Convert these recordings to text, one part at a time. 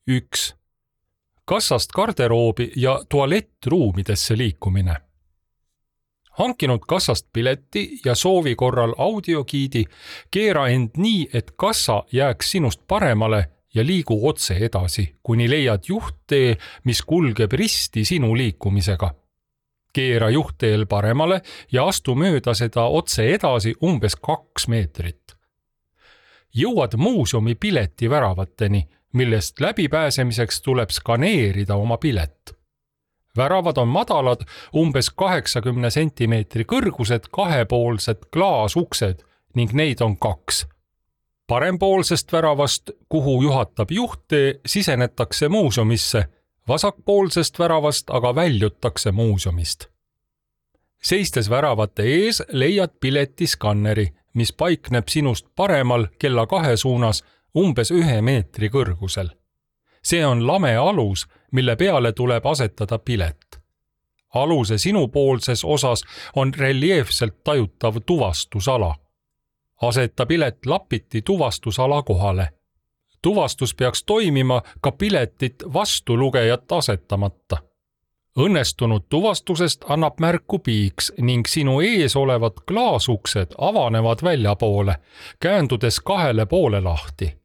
1. Kassast garderoobi ja tualettruumidesse liikumine. Hankinud kassast pileti ja soovi korral audiogiidi, keera end nii, et kassa jääks sinust paremale ja liigu otse edasi, kuni leiad juhttee, mis kulgeb risti sinu liikumisega. Keera juhtteel paremale ja astu mööda seda otse edasi umbes 2 meetrit. Jõuad muuseumi pileti väravateni, millest läbipääsemiseks tuleb skaneerida oma pilet. Väravad on madalad, umbes 80 sentimeetri kõrgused kahepoolsed klaasuksed ning neid on 2. Parempoolsest väravast, kuhu juhatab juhttee, sisenetakse muuseumisse, vasakpoolsest väravast aga väljutakse muuseumist. Seistes väravate ees leiad piletiskanneri, mis paikneb sinust paremal kella 2 suunas umbes 1 meetri kõrgusel. See on lame alus, mille peale tuleb asetada pilet. Aluse sinupoolses osas on reljeefselt tajutav tuvastusala. Aseta pilet lapiti tuvastusala kohale. Tuvastus peaks toimima ka piletit vastulugejat asetamata. Õnnestunud tuvastusest annab märku piiks ning sinu ees olevad klaasuksed avanevad väljapoole, käändudes 2 poole lahti.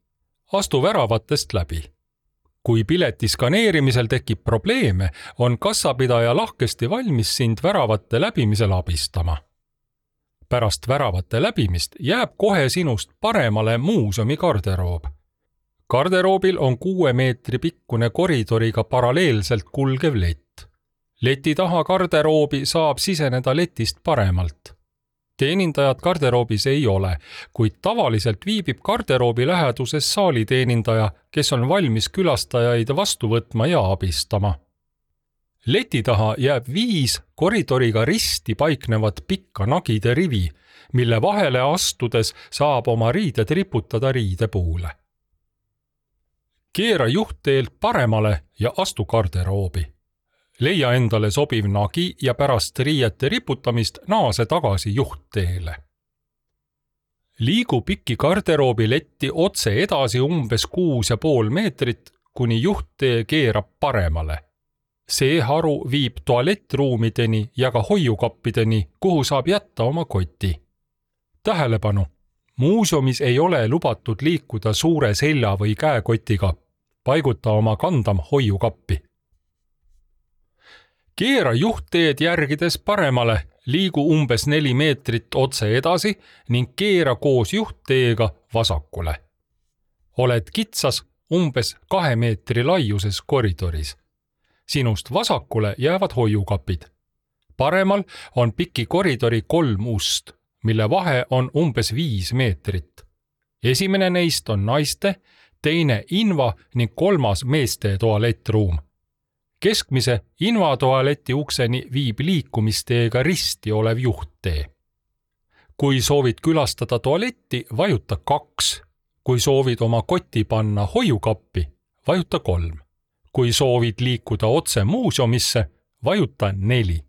Astu väravatest läbi. Kui pileti skaneerimisel tekib probleeme, on kassapidaja lahkesti valmis sind väravate läbimisel abistama. Pärast väravate läbimist jääb kohe sinust paremale muuseumi garderoob. Garderoobil on 6 meetri pikkune koridoriga paralleelselt kulgev lett. Leti taha garderoobi saab siseneda letist paremalt. Teenindajad garderoobis ei ole, kuid tavaliselt viibib garderoobi läheduses saaliteenindaja, kes on valmis külastajaid vastu võtma ja abistama. Leti taha jääb 5 koridoriga risti paiknevat pikka nagide rivi, mille vahele astudes saab oma riided riputada riidepuule. Keera juhtteelt paremale ja astu garderoobi. Leia endale sobiv nagi ja pärast riiete riputamist naase tagasi juhtteele. Liigu pikki garderoobi letti otse edasi umbes 6,5 meetrit, kuni juhttee keerab paremale. See haru viib tualettruumideni ja ka hoiukappideni, kuhu saab jätta oma koti. Tähelepanu! Muuseumis ei ole lubatud liikuda suure selja või käekotiga. Paiguta oma kandam hoiukappi. Keera juhtteed järgides paremale, liigu umbes 4 meetrit otse edasi ning keera koos juhtteega vasakule. Oled kitsas umbes 2 meetri laiuses koridoris. Sinust vasakule jäävad hoiukapid. Paremal on piki koridori 3 ust, mille vahe on umbes 5 meetrit. Esimene neist on naiste, teine inva ning 3. meeste tualettruum. Keskmise invatualeti ukseni viib liikumisteega risti olev juhttee. Kui soovid külastada tualetti, vajuta 2. Kui soovid oma koti panna hoiukappi, vajuta 3. Kui soovid liikuda otse muuseumisse, vajuta 4.